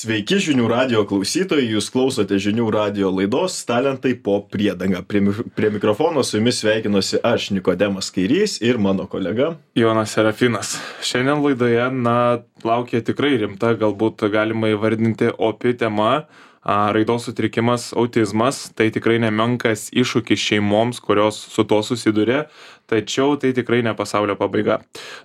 Sveiki žinių radio klausytojai, jūs klausote žinių radio laidos Talentai po priedanga. Prie mikrofono su jumis sveikinuosi aš, Nikodemas Kairys ir mano kolega Jonas Serafinas. Šiandien laidoje, laukia tikrai rimta, galbūt galima įvardinti opi tema. Raidos sutrikimas, autizmas, tai tikrai nemenkas iššūkis šeimoms, kurios su to susiduria, tačiau tai tikrai ne pasaulio pabaiga.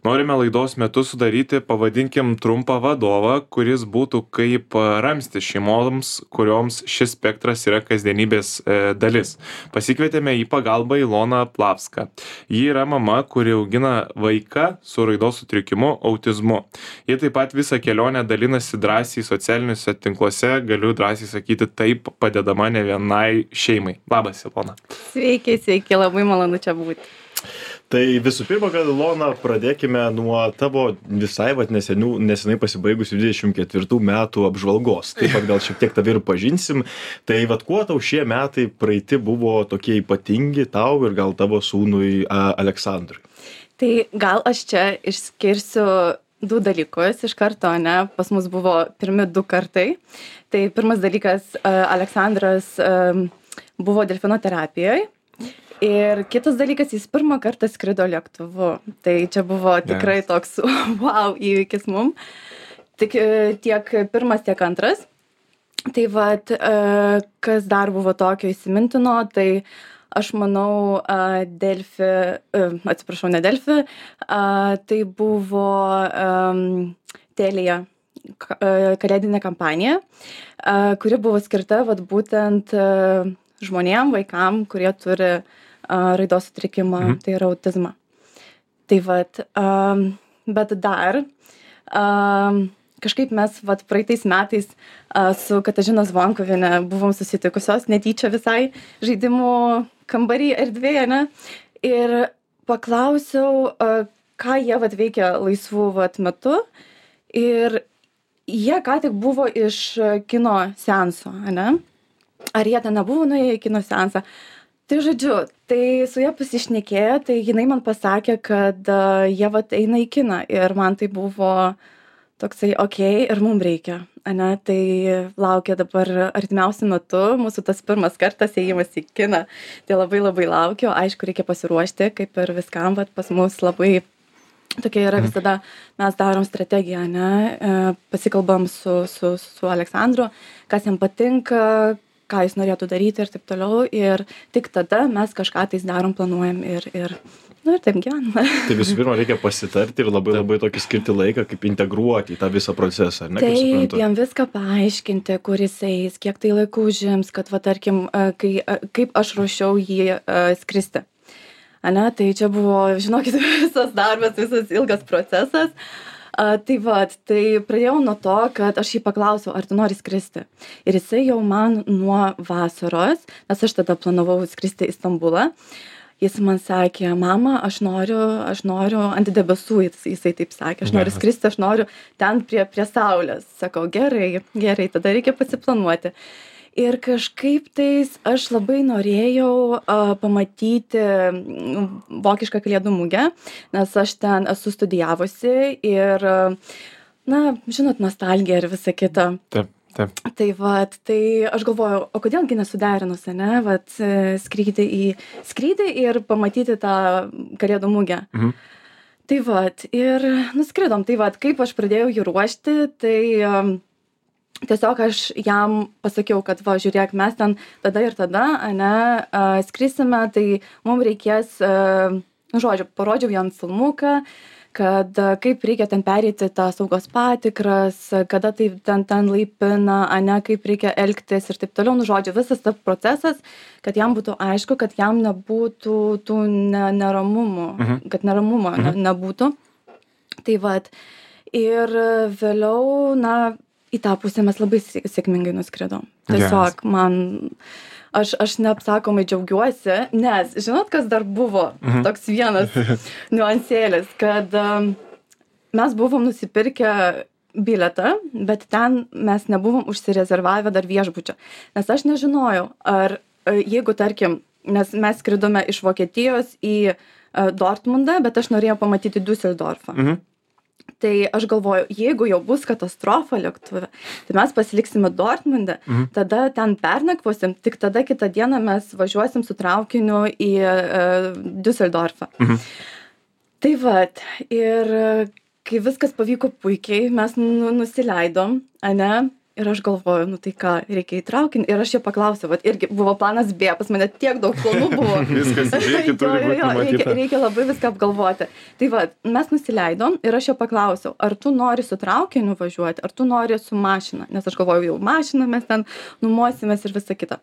Norime laidos metu sudaryti, pavadinkim, trumpą vadovą, kuris būtų kaip ramstis šeimoms, kurioms šis spektras yra kasdienybės dalis. Pasikvietėme į pagalbą Iloną Plavską. Ji yra mama, kuri augina vaiką su raidos sutrikimu, autizmu. Ji taip pat visą kelionę dalinasi drąsiai socialiniuose tinkluose, galiu drąsiai sakyti, taip padedama ne vienai šeimai. Labas, Ilona. Sveiki, labai malonu čia būti. Tai visų pirma, kad Ilona, pradėkime nuo tavo visai nesenai pasibaigusių 24 metų apžvalgos. Taip pat gal šiek tiek tave ir pažinsim. Tai kuo tau šie metai praeiti buvo tokie ypatingi tau ir gal tavo sūnui Aleksandrui? Tai gal aš čia išskirsiu du dalykus iš karto, ne? Pas mus buvo pirmi 2 kartai. Tai pirmas dalykas, Aleksandras buvo delfinoterapijoje. Ir kitas dalykas, jis pirmą kartą skrido lėktuvu. Tai čia buvo tikrai toks wow įvykis mum. Tik tiek pirmas, tiek antras. Tai kas dar buvo tokio įsimintino, tai aš manau, ne Delfi, tai buvo Telija kalėdinė kampanija, kuri buvo skirta būtent žmonėm, vaikam, kurie turi raidos sutrikimą, tai yra autizmą. Tai bet dar kažkaip mes praeitais metais su Katažina Zvonkuviene buvom susitikusios netyčia visai žaidimų kambarį erdvėje, ne? Ir paklausiau, ką jie veikia laisvų metu. Ir jie ką tik buvo iš kino seanso, ne? Ar jie ten nebuvo nuėję į kino seansą? Tai žodžiu, tai su ja pasišnekėjo, tai jinai man pasakė, kad jie eina į kiną ir man tai buvo toksai, okei, ir mums reikia, ne? Tai laukia dabar artimiausiu metu, mūsų tas pirmas kartas ėjimas į kiną, tai labai laukiu, aišku, reikia pasiruošti, kaip ir viskam, bet pas mus labai tokia yra visada, mes darom strategiją, ne? Pasikalbam su Aleksandru, kas jam patinka, ką jis norėtų daryti ir taip toliau, ir tik tada mes kažką tais darom, planuojam ir taip gyvename. Tai visų pirma, reikia pasitarti ir labai tokį skirti laiką, kaip integruoti į tą visą procesą, ar ne? Taip, jam viską paaiškinti, kur jis eis, kiek tai laikų užims, kad, tarkim, kaip aš ruošiau jį skristi. Ane, tai čia buvo, žinokit, visas darbas, visas ilgas procesas. Tai pradėjau nuo to, kad aš jį paklausiau, ar tu nori skristi. Ir jisai jau man nuo vasaros, nes aš tada planavau skristi į Stambulą, jis man sakė, mama, aš noriu ant debesų, jisai taip sakė, aš noriu skristi, aš noriu ten prie saulės. Sakau, gerai, tada reikia pasiplanuoti. Ir kažkaip tais aš labai norėjau pamatyti vokišką kalėdų mugę, nes aš ten esu studijavusi ir, žinot, nostalgija ir visa kita. Taip. Tai aš galvojau, o kodėlgi nesuderinus, ne, skrydį ir pamatyti tą kalėdų mugę. Tai ir nuskridom, kaip aš pradėjau jį ruošti, tai tiesiog aš jam pasakiau, kad žiūrėk, mes ten tada ir tada, skrisime, tai mums reikės, parodžiau jam filmuką, kad kaip reikia ten pereiti tą saugos patikras, kada tai ten laipina, kaip reikia elgtis ir taip toliau, visas tas procesas, kad jam būtų aišku, kad jam nebūtų tų neramumų, kad neramumo nebūtų. Tai ir vėliau, į tą pusę mes labai sėkmingai nuskridom. Tiesiog aš neapsakomai džiaugiuosi, nes žinot, kas dar buvo toks vienas niuansėlis, kad mes buvom nusipirkę bilietą, bet ten mes nebuvom užsirezervavę dar viešbučio. Nes aš nežinojau, ar jeigu, tarkim, nes mes skridome iš Vokietijos į Dortmundą, bet aš norėjau pamatyti Düsseldorfą. Tai aš galvoju, jeigu jau bus katastrofa lėktuve, tai mes pasiliksime Dortmunde, tada ten pernakvosim, tik tada kitą dieną mes važiuosim su traukiniu į Düsseldorfą. Tai vat, ir kai viskas pavyko puikiai, mes nusileidom, ane? Ir aš galvoju, nu tai ką, reikia į traukinį. Ir aš jo paklausiau, vat irgi buvo planas B, pas mane tiek daug planų buvo. Viskas į priekį turi būti numatyta. Reikia labai viską apgalvoti. Tai va, mes nusileidom ir aš jo paklausiau, ar tu nori su traukiniu važiuoti, ar tu nori su mašina. Nes aš galvoju, jau mašiną mes ten numosimės ir visa kita.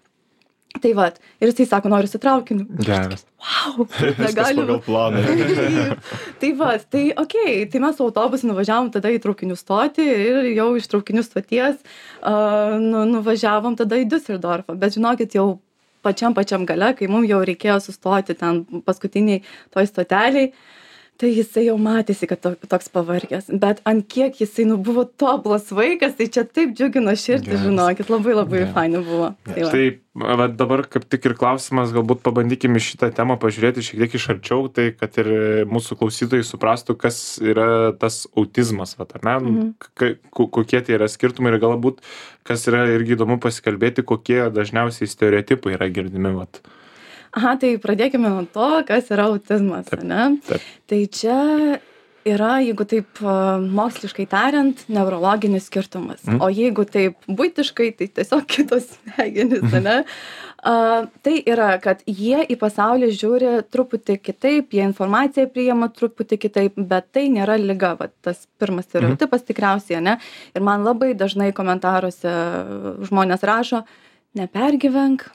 Tai va, ir jisai sako, noriu su traukiniu. Geras. Wow, Viskas pagal planą. Tai va, tai okei, tai mes su autobusu nuvažiavom tada į traukinių stotį ir jau iš traukinių stoties nuvažiavom tada į Düsseldorfą. Bet žinokit, jau pačiam gale, kai mums jau reikėjo sustoti ten paskutiniai toj stoteliai, tai jisai jau matėsi, kad toks pavargęs. Bet ant kiek jisai buvo tobulas vaikas, tai čia taip džiugino širdį, žinokit, labai fainai buvo. Tai va, dabar kaip tik ir klausimas, galbūt pabandykime šitą temą pažiūrėti šiek tiek iš arčiau, tai kad ir mūsų klausytojai suprastų, kas yra tas autizmas, va, ar ne? Kokie tai yra skirtumai ir galbūt, kas yra irgi įdomu pasikalbėti, kokie dažniausiai stereotipai yra girdimi. Va. Aha, tai pradėkime nuo to, kas yra autizmas, ne? Taip. Tai čia yra, jeigu taip moksliškai tariant, neurologinis skirtumas. O jeigu taip buitiškai, tai tiesiog kitos smegenys, ne? Tai yra, kad jie į pasaulį žiūri truputį kitaip, jie informaciją priima truputį kitaip, bet tai nėra liga, va, tas pirmas stereotipas tikriausiai, ne? Ir man labai dažnai komentaruose žmonės rašo, nepergyvenk,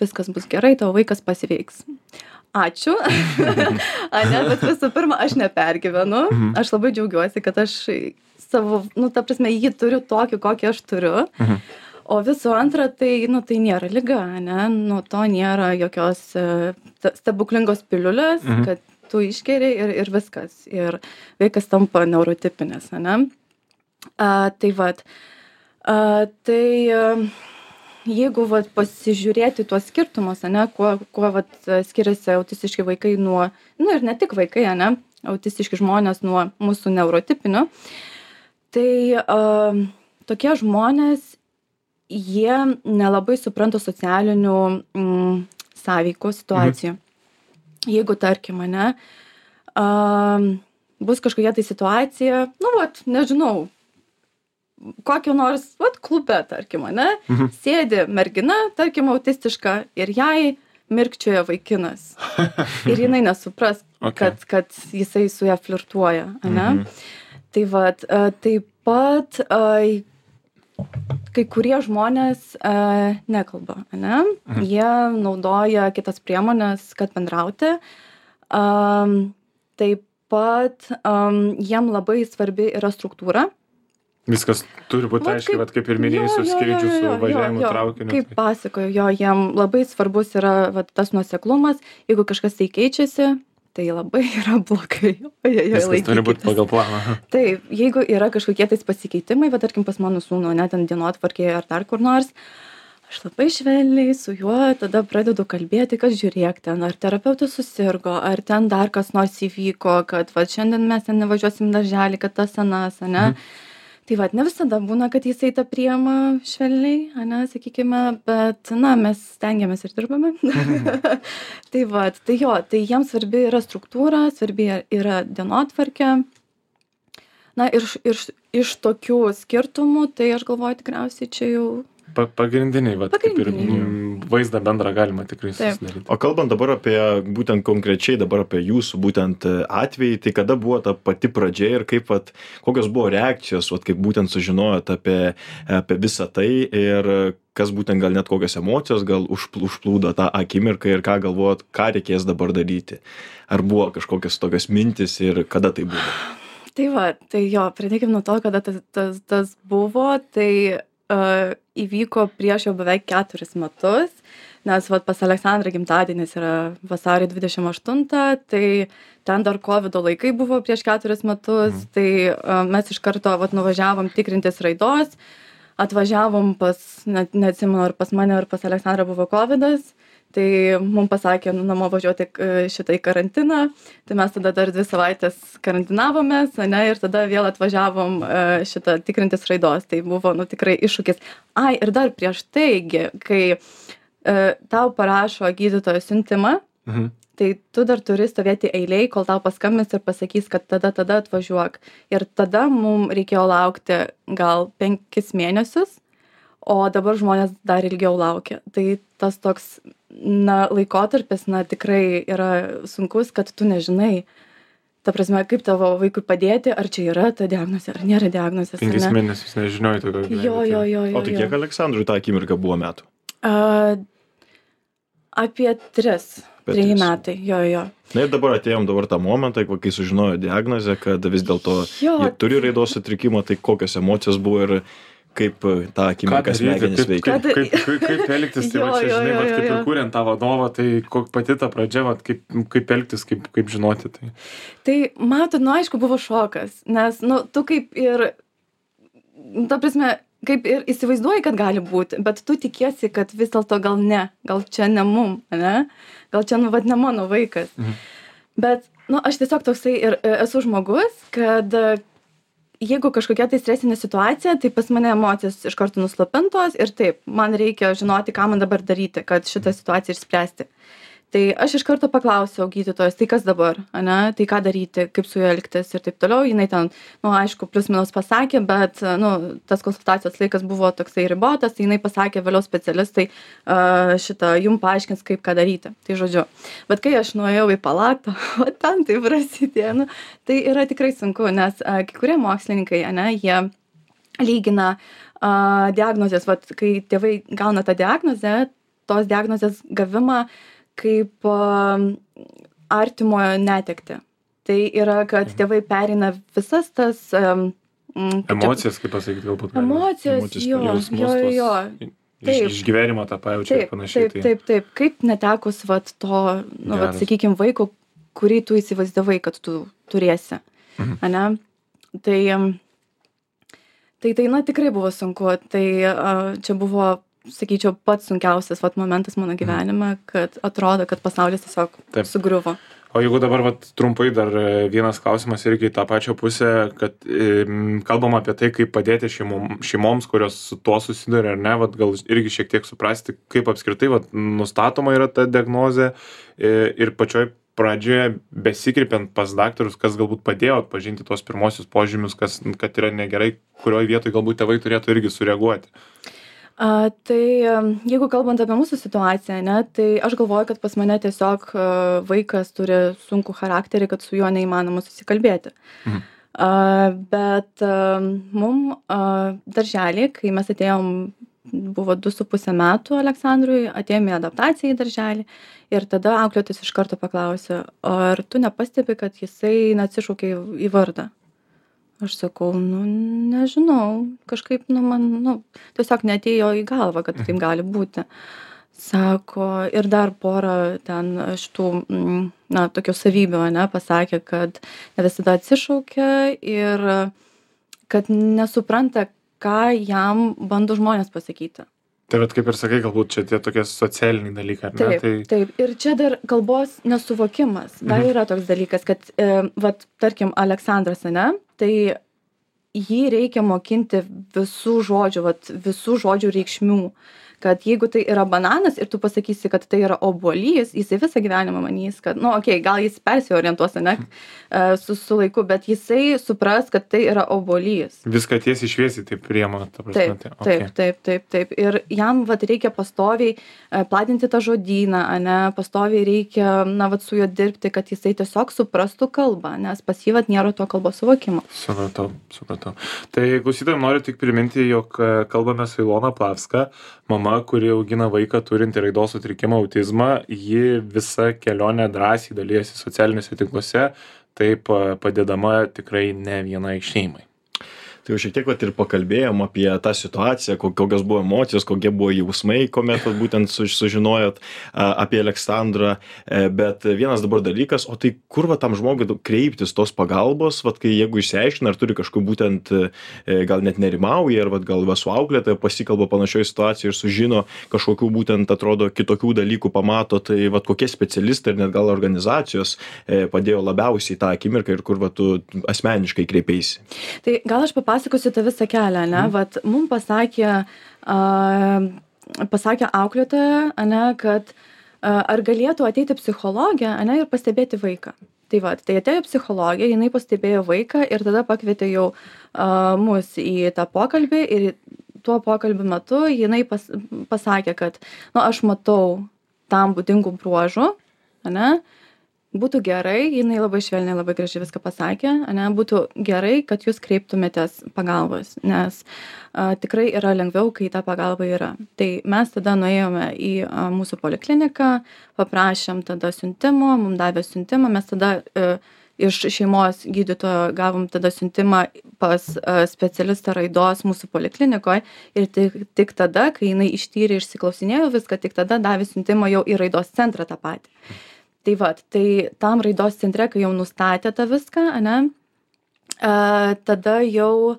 viskas bus gerai, tavo vaikas pasveiks. Ačiū. Ane, bet visų pirma, aš nepergyvenu. Aš labai džiaugiuosi, kad aš savo, ta prasme, jį turiu tokį, kokį aš turiu. O visų antra, tai, tai nėra liga, ne? Nuo to nėra jokios stebuklingos piliulės, kad tu išgeri ir viskas. Ir vaikas tampa neurotipinės, ne? Tai vat. Jeigu vat, pasižiūrėti tuos skirtumus, ane, kuo vat, skiriasi autistiški vaikai nuo, ir ne tik vaikai, ane, autistiški žmonės nuo mūsų neurotipinių, tai tokie žmonės, jie nelabai supranta socialinių sąveikų situacijų. Jeigu, tarkim, ane, bus kažkokia tai situacija, nežinau, kokio nors, klube, tarkim, ane, sėdi mergina, tarkim, autistiška ir jai mirkčioja vaikinas. Ir jinai nesupras, kad jisai su ją flirtuoja, ane. Tai vat, taip pat kai kurie žmonės nekalba, ane. Jie naudoja kitas priemonės, kad bendrauti. Taip pat jiem labai svarbi yra struktūra. Viskas turi būti aiškiai, kaip ir minėjai, su skrydžiu, su važiavimu traukiniu. Kaip pasakoju, jiem labai svarbus yra tas nuoseklumas. Jeigu kažkas tai keičiasi, tai labai yra blogai. Viskas turi būti pagal planą. Taip, jeigu yra kažkokie tais pasikeitimai, tarkim pas mano sūnų, net ant dienotvarkėje ar dar kur nors, aš labai švelniai su juo tada pradedu kalbėti, kad žiūrėk ten, ar terapeutas susirgo, ar ten dar kas nors įvyko, kad šiandien mes ten nevažiuosim darželį, kad tas anas, ne? Tai ne visada būna, kad jisai tą priima švelniai, ane, sakykime, bet, mes stengiamės ir dirbame. Tai jiems svarbi yra struktūra, svarbi yra dienotvarkė. Ir iš tokių skirtumų, tai aš galvoju tikriausiai čia jau... Pagrindiniai, kaip ir vaizdą bendrą galima tikrai susidaryti. O kalbant dabar apie, būtent konkrečiai dabar apie jūsų būtent atvejį, tai kada buvo ta pati pradžia ir kokios buvo reakcijos, kaip būtent sužinojot apie visą tai ir kas būtent gal net kokios emocijos gal užplūdo tą akimirką ir ką galvojot, ką reikės dabar daryti. Ar buvo kažkokios tokios mintis ir kada tai buvo? Tai pradėkim nuo to, kada tas buvo, tai įvyko prieš jau beveik 4 metus, nes pas Aleksandrą gimtadienis yra vasario 28, tai ten dar COVID laikai buvo prieš 4 metus, tai mes iš karto nuvažiavom tikrintis raidos, atvažiavom neatsimenu, ar pas mane, ar pas Aleksandrą buvo COVIDas, Tai mums pasakė namo važiuoti šitą į karantiną, tai mes tada dar 2 savaitės karantinavomės, ane, ir tada vėl atvažiavom šitą tikrintis raidos. Tai buvo, nu, tikrai iššūkis. Ai, ir dar prieš taigi, kai tau parašo gydytojo siuntimą, tai tu dar turi stovėti eilėj, kol tau paskambins ir pasakys, kad tada atvažiuok. Ir tada mums reikėjo laukti gal 5 mėnesius, o dabar žmonės dar ilgiau laukia. Tai tas toks, na, laikotarpis, na, tikrai yra sunkus, kad tu nežinai, ta prasme, kaip tavo vaikui padėti, ar čia yra ta diagnozė, ar nėra diagnozės. 5 mėnesius nežinojai tokio. Jo. O tai kiek Aleksandrui tą akimirką buvo metų? Apie 3 metai, jo. Na ir dabar atėjom tą momentą, kai sužinojo diagnozę, kad vis dėlto jie turi raidos sutrikimą, tai kokios emocijos buvo ir kaip tą akimirką smegenys veikia. Kaip elgtis, tai va čia, žinai, va, kaip ir kuriant tą vadovą, tai pati ta pradžia, va, kaip elgtis, kaip žinoti tai. Tai matot, nu aišku, buvo šokas, nes, nu, tu kaip ir, ta prasme, kaip ir įsivaizduoji, kad gali būti, bet tu tikiesi, kad vis dėlto gal ne, gal čia ne mum, ne? Gal čia, nu, vat, ne mano vaikas. Bet, nu, aš tiesiog toksai ir esu žmogus, kad jeigu kažkokia tai stresinė situacija, tai pas mane emocijos iš karto nuslopintos ir taip, man reikia žinoti, ką man dabar daryti, kad šitą situaciją išspręsti. Tai aš iš karto paklausiau gydytojos, tai kas dabar, ane, tai ką daryti, kaip su juo elgtis ir taip toliau. Jinai ten, nu, aišku, plius minus pasakė, bet, nu, tas konsultacijos laikas buvo toksai ribotas, tai jinai pasakė vėliau specialistai jum paaiškins, kaip ką daryti. Tai žodžiu. Bet kai aš nuėjau į palatą, o ten tai prasidėjo, nu, tai yra tikrai sunku, nes kai kurie mokslininkai, ane, jie lygina diagnozės, vat, kai tėvai gauna tą diagnozę, tos diagnozės gavimą kaip artimojo netekti. Tai yra, kad tėvai pereina visas tas emocijas, kaip pasakyti, galbūt. Emocijos, jo. Išgyvenimo tą pajaučia ir panašiai. Taip. Kaip netekus vat to, nu, vat, sakykime, vaiko, kurį tu įsivaizdavai, kad tu turėsi. Ane? Tai, na, tikrai buvo sunku. Tai čia buvo, sakyčiau, pats sunkiausias vat momentas mano gyvenime, kad atrodo, kad pasaulis tiesiog sugriuvo. O jeigu dabar vat, trumpai dar vienas klausimas irgi į tą pačią pusę, kad kalbam apie tai, kaip padėti šeimoms, kurios su tuo susiduria, ar ne, vat, gal irgi šiek tiek suprasti, kaip apskritai vat, nustatoma yra ta diagnozė ir pačioj pradžioje besikreipiant pas daktarus, kas galbūt padėjo atpažinti tuos pirmosius požymius, kad yra negerai, kurioje vietoje galbūt tėvai turėtų irgi sureaguoti. Tai jeigu kalbant apie mūsų situaciją, ne, tai aš galvoju, kad pas mane tiesiog vaikas turi sunkų charakterį, kad su juo neįmanoma susikalbėti. Bet mum darželį, kai mes atėjom, buvo 2,5 metų Aleksandrui, atėjome į adaptaciją į darželį ir tada auklėtis iš karto paklausė, ar tu nepastebi, kad jisai atsišaukė į vardą. Aš sakau, nu, nežinau, kažkaip, nu, man, nu, tiesiog neatėjo į galvą, kad taip gali būti. Sako, ir dar porą ten šitų, na, tokių savybių, ne, pasakė, kad ne visada atsišaukia ir kad nesupranta, ką jam bando žmonės pasakyti. Tai vat, kaip ir sakai, galbūt čia tie tokie socialiniai dalykai, ar ne? Taip. Ir čia dar kalbos nesuvokimas. Dar yra toks dalykas, kad, vat, tarkim, Aleksandras, ne, tai jį reikia mokinti visų žodžių reikšmių. Kad jeigu tai yra bananas ir tu pasakysi, kad tai yra obuolys, jisai visą gyvenimą manys, kad, nu, okei, gal jis persiorientuos, ne, su laiku, bet jisai supras, kad tai yra obuolys. Viską tiesiai šviesiai taip priema, ta prasme. Taip. Ir jam, vat, reikia pastoviai platinti tą žodyną, ne, pastoviai reikia, na, vat, su juo dirbti, kad jisai tiesiog suprastų kalbą, nes pas jį, vat, nėra to kalbos suvokimo. Supratau. Tai klausytojams noriu tik priminti, jog kalbame su Ilona Plavska, mama, kuri augina vaiką turintį raidos sutrikimą autizmą, ji visą kelionę drąsiai dalyjasi socialiniuose tinkluose, taip padėdama tikrai ne vienai šeimai. Tai jau šiek tiek vat ir pakalbėjom apie tą situaciją, kokios buvo emocijos, kokie buvo jausmai, kuomet vat būtent sužinojot apie Aleksandrą, bet vienas dabar dalykas, o tai kur va tam žmogui kreiptis tos pagalbos, vat kai jeigu išsiaiškina, ar turi kažkokių būtent gal net nerimauja, ar vat gal va su auklėtoja pasikalba panašioje situacijoje ir sužino kažkokių būtent atrodo kitokių dalykų pamato, tai vat kokie specialistai ir net gal organizacijos padėjo labiausiai tą akimirką ir kur va tu asmeniškai kreipeisi. Tai gal aš papasakosiu tą visą kelią, ne? Vat mums pasakė auklėtoja, ne, kad ar galėtų ateiti psichologė, ne, ir pastebėti vaiką. Tai va, tai atėjo psichologė, jinai pastebėjo vaiką ir tada pakvietė jau mus į tą pokalbį ir tuo pokalbio metu jinai pasakė, kad aš matau tam būdingų bruožų, ne, būtų gerai, jinai labai švelniai, labai gražiai viską pasakė, ne, būtų gerai, kad jūs kreiptumėtės pagalbos, nes tikrai yra lengviau, kai ta pagalba yra. Tai mes tada nuėjome į mūsų polikliniką, paprašėm tada siuntimo, mums davė siuntimą, mes tada iš šeimos gydytojo gavom tada siuntimą pas specialistą raidos mūsų poliklinikoje ir tik tada, kai jinai ištyrė, išsiklausinėjo viską, tik tada davė siuntimą jau į raidos centrą tą patį. Tai va, tai tam raidos centre, kai jau nustatė tą viską, ne, tada jau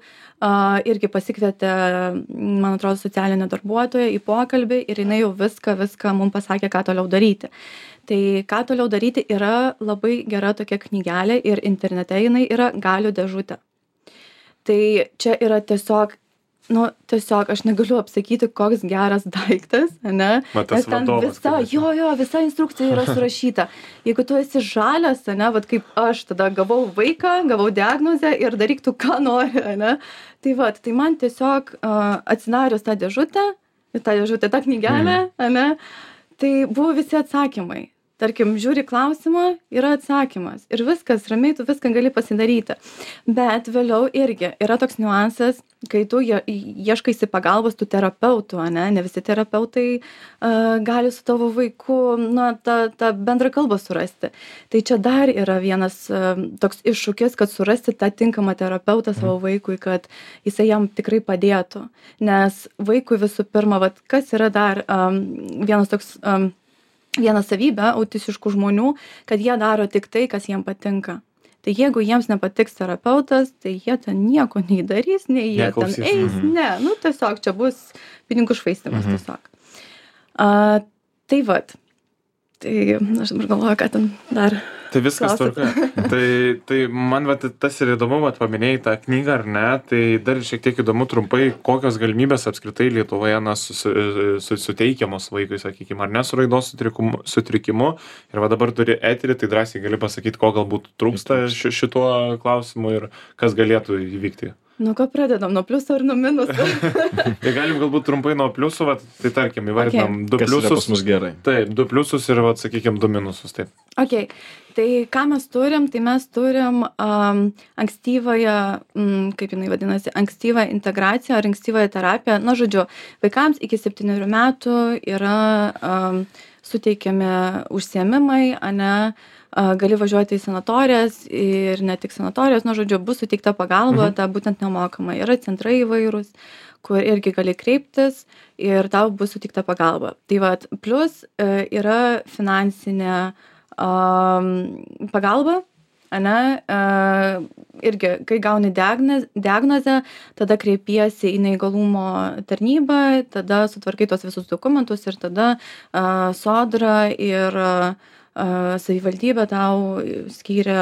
irgi pasikvietė, man atrodo, socialinė darbuotoja į pokalbį ir jinai jau viską mums pasakė, ką toliau daryti. Tai ką toliau daryti yra labai gera tokia knygelė ir internete jinai yra galių dėžutė. Tai čia yra tiesiog aš negaliu apsakyti, koks geras daiktas, ne? Nes ten visa instrukcija yra surašyta. Jeigu tu esi žalias, ne, vat kaip aš tada gavau vaiką, gavau diagnozę ir daryk tu ką nori, ne? Tai vat, tai man tiesiog atsidarius tą dėžutę, tą knygelę, ne, tai buvo visi atsakymai. Tarkim, žiūri klausimą, yra atsakymas. Ir viskas, ramiai tu viską gali pasidaryti. Bet vėliau irgi yra toks niuansas, kai tu ieškaisi pagalbos tų terapeutų, ne visi terapeutai gali su tavo vaiku tą bendrą kalbą surasti. Tai čia dar yra vienas toks iššūkis, kad surasti tą tinkamą terapeutą savo vaikui, kad jisai jam tikrai padėtų. Nes vaikui visų pirma, kas yra dar viena savybė autistiškų žmonių, kad jie daro tik tai, kas jiem patinka. Tai jeigu jiems nepatiks terapeutas, tai jie ten nieko nei darys, nei jie ten eis, ne, tiesiog čia bus pinigų švaistymas tiesiog. Tai vat, tai aš dabar galvoju, ką ten dar. Tai viskas tvarka. Tai man tas ir įdomu, paminėjai tą knygą ar ne, tai dar šiek tiek įdomu trumpai, kokios galimybės apskritai Lietuvoje suteikiamos vaikui, sakykime, ar ne su raidos sutrikimu. Ir dabar turi eterį, tai drąsiai gali pasakyti, ko galbūt trūksta šituo klausimu ir kas galėtų įvykti. Nuo ko pradedam? Nuo pliuso ar nuo minuso? Tai galim galbūt trumpai nuo pliusų, tai tarkim, įvardinam 2 pliusus. Kas yra pas mus gerai. Taip, 2 pliusus ir, sakykime, 2 minusus. Taip. Ok, tai ką mes turim? Tai mes turim ankstyvąją, kaip jinai vadinasi, ankstyvą integraciją ar ankstyvąją terapiją. Žodžiu, vaikams iki 7 metų yra suteikiami užsiėmimai, gali važiuoti į sanatorijas ir ne tik sanatorijas, žodžiu, bus suteikta pagalba, ta būtent nemokama. Yra centrai įvairūs, kur irgi gali kreiptis ir tau bus suteikta pagalba. Tai vat, plus yra finansinė pagalba, irgi, kai gauni diagnozę, tada kreipiesi į neįgalumo tarnybą, tada sutvarkai tos visus dokumentus ir tada Sodra ir savivaldybė tau skyrė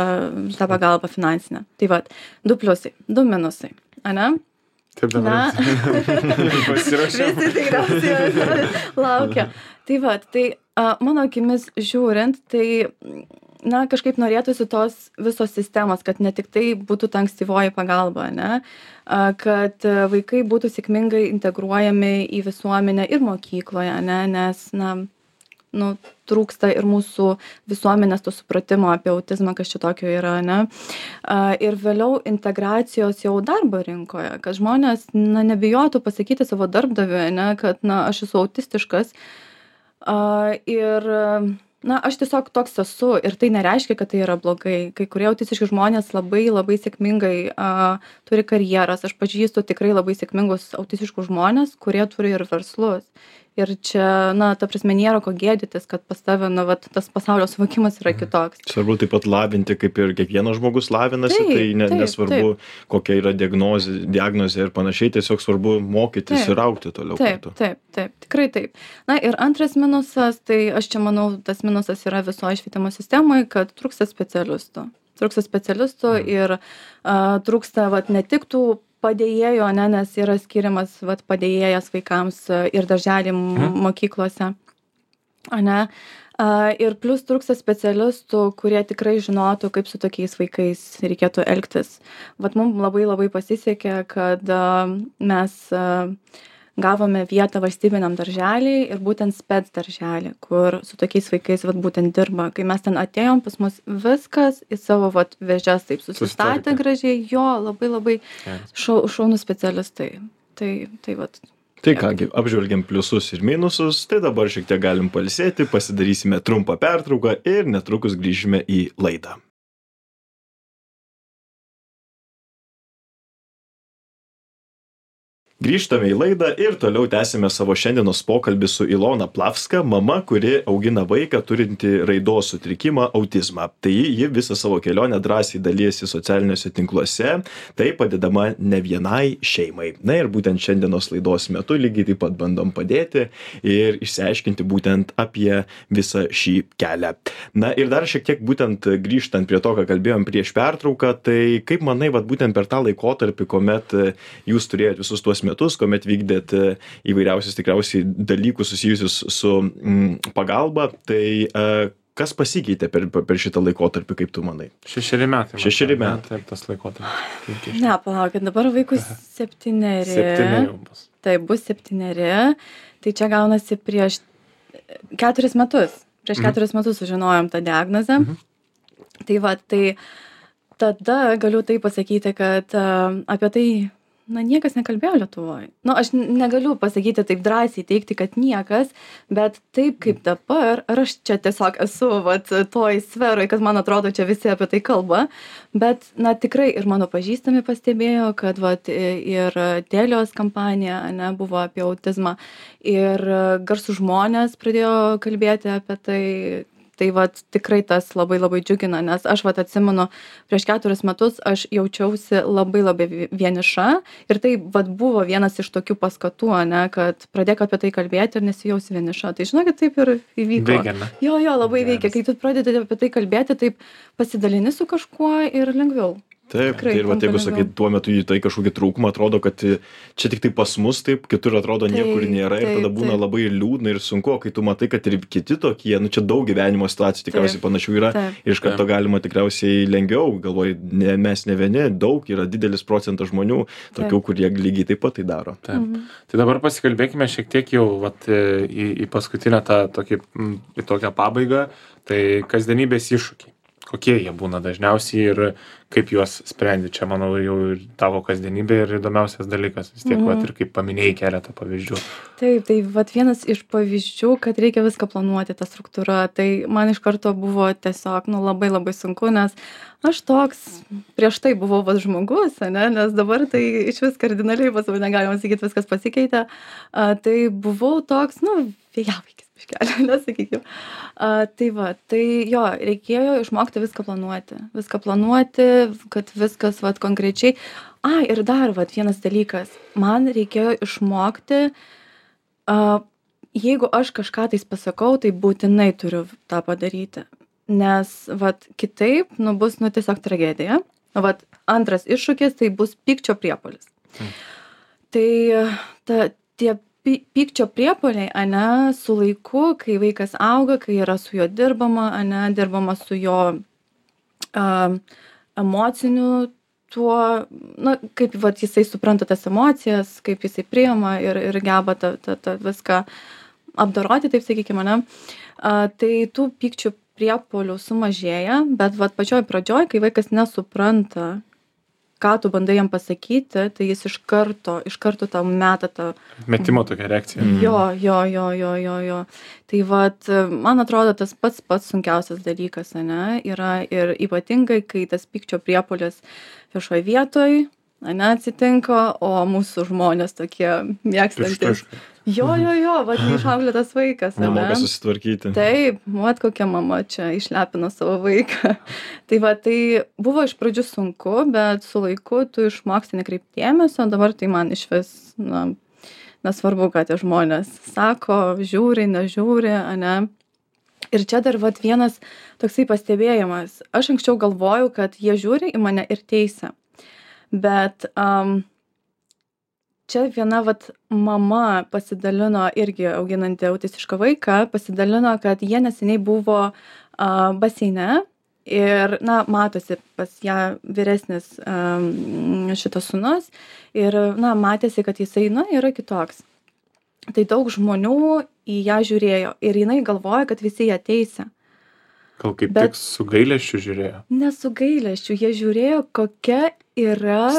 tą pagalbą finansinę. Tai vat, 2 pliusai, 2 minusai, ane? Taip dabar pasirašėm. Visi tikriausiai laukia. Tai vat, tai mano akimis žiūrint, tai kažkaip norėtųsi tos visos sistemos, kad ne tik tai būtų ta ankstyvoji pagalba, ne? Kad vaikai būtų sėkmingai integruojami į visuomenę ir mokykloje, ne? Nes, trūksta ir mūsų visuomenės to supratimo apie autizmą, kas čia tokio yra, ne? Ir vėliau integracijos jau darbo rinkoje, kad žmonės, nebijotų pasakyti savo darbdaviui, ne? Kad, aš esu autistiškas. Ir aš tiesiog toks esu ir tai nereiškia, kad tai yra blogai. Kai kurie autistiški žmonės labai labai sėkmingai turi karjeras. Aš pažįstu tikrai labai sėkmingus autistiškus žmonės, kurie turi ir verslus. Ir čia, ta prasme, nėra ko gėdytis, kad pas tave, tas pasaulio suvokimas yra kitoks. Svarbu taip pat lavinti, kaip ir kiekvienas žmogus lavinasi, nesvarbu, kokia yra diagnozė ir panašiai, tiesiog svarbu mokytis ir augti toliau. Taip, tikrai taip. Ir antras minusas, tai aš čia manau, tas minusas yra visoje švietimo sistemoje, kad trūksta specialistų. Ir trūksta, ne tik tų padėjėjo, nes yra skiriamas padėjėjas vaikams ir darželį mokyklose. Ir plus trūksta specialistų, kurie tikrai žinotų, kaip su tokiais vaikais reikėtų elgtis. Mums labai labai pasisekė, kad mes gavome vietą valstybiniam darželį ir būtent spec darželį, kur su tokiais vaikais būtent dirba. Kai mes ten atėjom, pas mus viskas į savo vėžes taip susistatė gražiai, labai labai šaunų specialistai. Tai kągi, apžvelgiam pliusus ir minusus, tai dabar šiek tiek galim pailsėti, pasidarysime trumpą pertrauką ir netrukus grįžime į laidą. Grįžtame į laidą ir toliau tęsime savo šiandienos pokalbį su Ilona Plavska, mama, kuri augina vaiką turinti raidos sutrikimą autizmą. Tai ji visą savo kelionę drąsiai dalijasi socialiniuose tinkluose, tai padedama ne vienai šeimai. Ir būtent šiandienos laidos metu lygiai taip pat bandom padėti ir išsiaiškinti būtent apie visą šį kelią. Ir dar šiek tiek būtent grįžtant prie to, ką kalbėjom prieš pertrauką, tai kaip manai, būtent per tą laikotarpį, kuomet jūs turėjot visus tuos metus, kuomet vykdėt įvairiausius tikriausiai dalykus susijusius su pagalba, tai kas pasikeitė per šitą laikotarpį, kaip tu manai? 6 metai. 6 metai. Taip, tas laikotarpis. Palaukit, dabar vaikus 7. 7 jau bus. Taip, bus 7. Tai čia gaunasi prieš 4 metus. Prieš 4 metus sužinojom tą diagnozę. Tai tada galiu tai pasakyti, kad apie tai niekas nekalbėjo Lietuvoje. Aš negaliu pasakyti taip drąsiai teikti, kad niekas, bet taip kaip dabar, ar aš čia tiesiog esu toj sferoje, kad man atrodo, čia visi apie tai kalba, bet tikrai ir mano pažįstami pastebėjo, kad ir Telios kampanija buvo apie autizmą ir garsų žmonės pradėjo kalbėti apie tai. Tai tikrai tas labai labai džiugina, nes aš atsimenu, prieš 4 metus aš jaučiausi labai labai vieniša ir tai buvo vienas iš tokių paskatų, kad pradėk apie tai kalbėti ir nesijausi vieniša. Tai žinokit, taip ir įvyko. Veikia, ne? Jo, labai veikia. Kai tu pradedi apie tai kalbėti, taip pasidalini su kažkuo ir lengviau. Taip, tikrai, ir jeigu sakai, tuo metu į tai kažkokį trūkumą, atrodo, kad čia tik tai pas mus taip, kitur atrodo niekur nėra ir tada būna labai liūdna ir sunku, kai tu matai, kad ir kiti tokie, čia daug gyvenimo situacijų tikriausiai panašių yra ir iš karto galima tikriausiai lengviau, galvoju, mes ne vieni, daug yra didelis procentas žmonių, tokių, kurie lygiai taip pat tai daro. Tai dabar pasikalbėkime šiek tiek jau į paskutinę į tokią pabaigą, tai kasdienybės iššūkiai. Kokie jie būna dažniausiai ir kaip juos sprendi. Čia, manau, jau ir tavo kasdienybė ir įdomiausias dalykas. Vis tiek, ir kaip paminėjai keletą pavyzdžių. Taip, tai vienas iš pavyzdžių, kad reikia viską planuoti, ta struktūra. Tai man iš karto buvo tiesiog labai labai sunku, nes aš toks prieš tai buvau žmogus, nes dabar tai iš vis kardinaliai pas mane galima sakyti, viskas pasikeitė. Tai buvau toks, vėjavaikis. Nesakykim. Tai jo, reikėjo išmokti viską planuoti, kad viskas konkrečiai. Ir dar vienas dalykas. Man reikėjo išmokti, jeigu aš kažką tais pasakau, tai būtinai turiu tą padaryti. Nes kitaip bus tiesiog tragedija. Antras iššūkis tai bus pykčio priepuolis. Tai tie pykčio priepuoliai, su laiku, kai vaikas auga, kai yra su juo dirbama, dirbama su jo emociniu tuo, kaip jisai supranta tas emocijas, kaip jisai priima ir geba tą viską apdoroti, taip sakykime, tai tų pykčių priepuolių sumažėja, bet pačioj pradžioj, kai vaikas nesupranta, ką tu bandai jam pasakyti, tai jis iš karto tau meta tą... Metimo tokia reakcija. Jo. Tai vat, man atrodo, tas pats sunkiausias dalykas, ane, yra ir ypatingai, kai tas pykčio priepuolis viešoje vietoje, ane, atsitinka, o mūsų žmonės tokie mėgstantis. Jo, vat neišauklėtas vaikas, ane. Nemoka susitvarkyti. Taip, vat kokia mama čia išlepino savo vaiką. Tai va, tai buvo iš pradžių sunku, bet su laiku tu išmoksti nekreipti dėmesio, dabar tai man išvis, nesvarbu, ką tie žmonės sako, žiūri, nežiūri, ane. Ir čia dar vat vienas toksai pastebėjimas. Aš anksčiau galvojau, kad jie žiūri į mane ir teisia. Bet čia viena vat mama pasidalino, irgi auginanti autistišką vaiką, pasidalino, kad jie neseniai buvo baseine ir, matosi pas ją vyresnis šitas sūnus ir, matėsi, kad jisai, yra kitoks. Tai daug žmonių į ją žiūrėjo ir jinai galvoja, kad visi ją teisia. Gal kaip tik su gailesčiu žiūrėjo? Ne su gailesčiu, jie žiūrėjo, kokia yra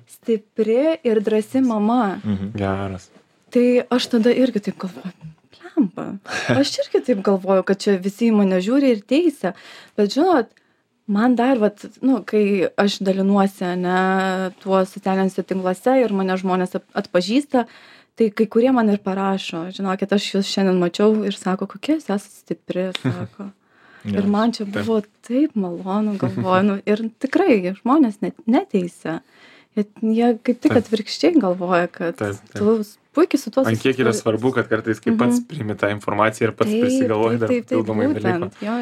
stipri ir drąsi mama. Geras. Tai aš tada irgi taip galvoju, plemba. Aš irgi taip galvoju, kad čia visi į mane žiūri ir teisia. Bet žinot, man dar, kai aš dalinuosi, tuo socialiniuose tinkluose ir mane žmonės atpažįsta, tai kai kurie man ir parašo, žinokit, aš jūs šiandien mačiau ir sako, kokia jūs esate stipri, sako. Ir man čia buvo taip malonu, galvoju, ir tikrai žmonės neteisia. Jie kaip tik atvirkščiai galvoja, kad tu puikiai su tuo susiduri. Man kiek yra svarbu, kad kartais kaip pats priimi tą informaciją ir pats prisigalvoji dar papildomai dalykų. Jo.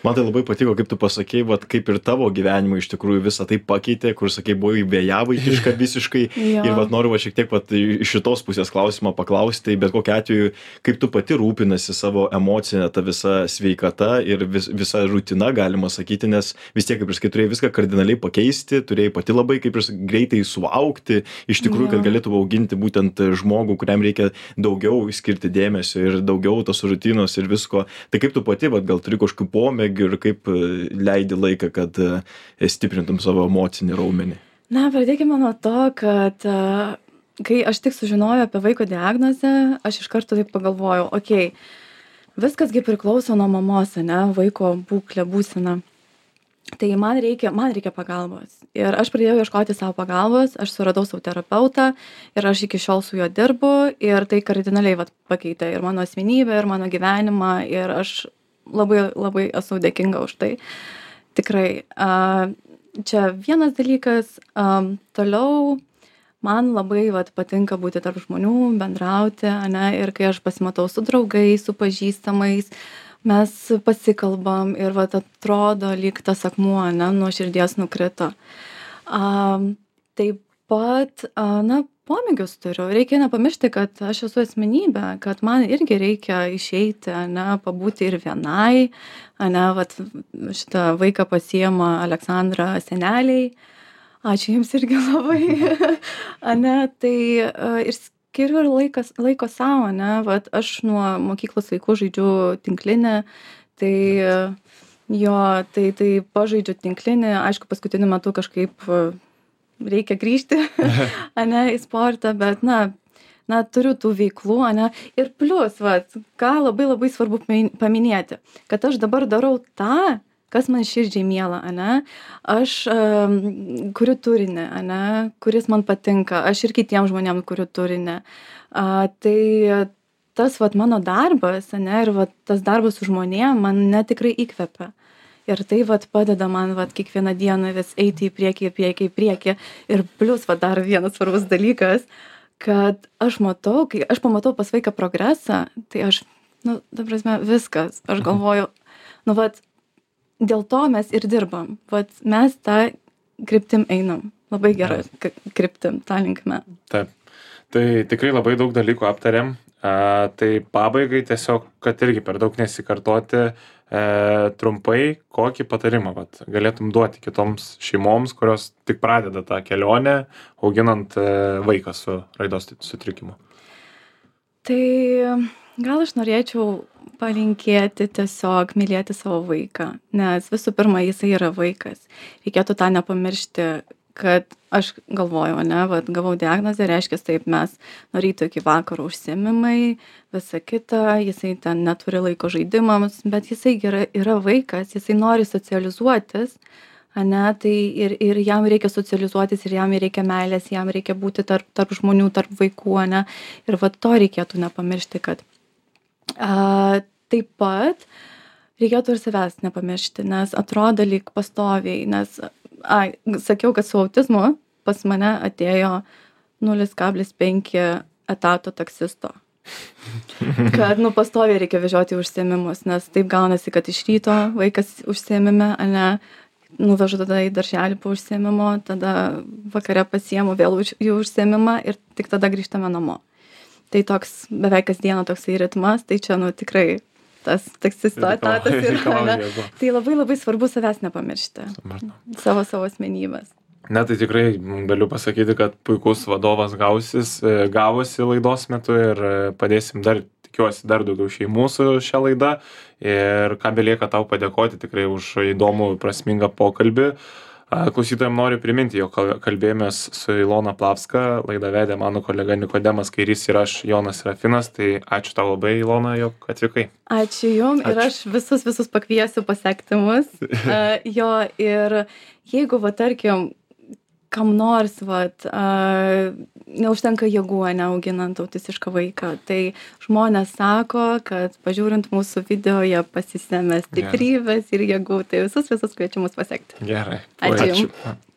Man tai labai patiko, kaip tu pasakei, kaip ir tavo gyvenimą iš tikrųjų visą tai pakeitė, kur sakei, buvai vėjavaikiška visiškai. Ir noriu šiek tiek iš šitos pusės klausimą paklausti, bet kokiu atveju, kaip tu pati rūpinasi savo emocinę tą visą sveikatą ir visą rutiną, galima sakyti, nes vis tiek, kaip ir sakai, turėjai viską kardinaliai pakeisti, turėjai pati labai kaip ir greitai suaugti, iš tikrųjų, kad galėtų auginti būtent žmogų, kuriam reikia daugiau skirti dėmesio ir daugiau tos rutinos ir visko. Tai kaip tu pati, gal turi kažkokių pomėgių ir kaip leidi laiką, kad stiprintum savo emocinį raumenį? Pradėkime nuo to, kad kai aš tik sužinojau apie vaiko diagnozę, aš iš karto taip pagalvojau, viskas priklauso nuo mamos, vaiko būklė, būsena. Tai man reikia pagalbos. Ir aš pradėjau ieškoti savo pagalbos, aš suradau savo terapeutą ir aš iki šiol su juo dirbu ir tai kardinaliai pakeitė ir mano asmenybę, ir mano gyvenimą ir aš labai, labai esu dėkinga už tai. Tikrai. Čia vienas dalykas, toliau man labai patinka būti tarp žmonių, bendrauti, ir kai aš pasimatau su draugais, su pažįstamais, mes pasikalbam ir atrodo lyg tas akmuo, nuo širdies nukrito. Taip pat, pomėgius turiu. Reikia nepamiršti, kad aš esu asmenybė, kad man irgi reikia išeiti, pabūti ir vienai. Šitą vaiką pasiima Aleksandra seneliai. Ačiū jums irgi labai. Tai ir skiriu ir laiko savo, aš nuo mokyklos laikų žaidžiu tinklinę, tai pažaidžiu tinklinį, aišku, paskutiniu metu kažkaip reikia grįžti, į sportą, bet, turiu tų veiklų, ir plus, ką labai labai svarbu paminėti, kad aš dabar darau tą, kas man širdžiai miela, aš kuriu turinį, kuris man patinka, aš ir kitiems žmonėms kuriu turinį. Tai tas mano darbas, ir tas darbas su žmonėm man tikrai įkvepia. Ir tai padeda man kiekvieną dieną vis eiti į priekį. Ir plus dar vienas svarbus dalykas, kad aš matau, kai aš pamatau pas vaiką progresą, tai aš, ta prasme, viskas, aš galvoju, dėl to mes ir dirbam. Mes tą kryptim einam. Labai gerą kryptim, tą linkme. Taip. Tai tikrai labai daug dalykų aptarėm. Tai pabaigai tiesiog, kad irgi per daug nesikartoti, trumpai, kokį patarimą galėtum duoti kitoms šeimoms, kurios tik pradeda tą kelionę, auginant vaiką su raidos sutrikimu. Tai gal aš norėčiau palinkėti tiesiog mylėti savo vaiką, nes visų pirma, jisai yra vaikas. Reikėtų tą nepamiršti, kad aš galvoju, ne, vat, gavau diagnozę, reiškia, taip mes nuo ryto iki vakaro užsiėmimai, visa kita, jisai ten neturi laiko žaidimams, bet jisai yra vaikas, jisai nori socializuotis, ane, tai ir jam reikia socializuotis, ir jam reikia meilės, jam reikia būti tarp žmonių, tarp vaikų, ane, ir vat to reikėtų nepamiršti, kad taip pat reikėtų ir savęs nepamiršti, nes atrodo lyg pastoviai, nes sakiau, kad su autizmu pas mane atėjo 0,5 etato taksisto. Kad, pastoviai reikia vežioti užsiėmimus, nes taip gaunasi, kad iš ryto vaikas užsiėmime, ane, nuvežu tada į darželį po užsiėmimo, tada vakare pasiemu vėl į užsiėmimą ir tik tada grįžtame namo. Tai toks beveik kasdieną toksai ritmas, tai čia, tikrai tas taksisto etatas yra. Tai labai labai svarbu savęs nepamiršti. Savo asmenybės. Ne, tai tikrai galiu pasakyti, kad puikus vadovas gavosi laidos metu ir padėsim tikiuosi dar daugiau šeimų su šią laidą. Ir ką belieka tau padėkoti tikrai už įdomų, prasmingą pokalbį. Klausytojams noriu priminti, jog kalbėjomės su Ilona Plavska, laidą vedė mano kolega Nikodemas Kairys ir aš, Jonas Serafinas. Tai ačiū tau labai, Ilona, jog atvykai. Ačiū jums ir aš visus pakviesiu pasekti mus. Jo, ir jeigu, tarkim, kam nors, neužtenka jėgų, neauginant autistišką vaiką, tai žmonės sako, kad pažiūrint mūsų video, jie pasisemia stiprybės ir jėgų, tai visus kviečiu mus pasekti. Gerai. Ačiū jums.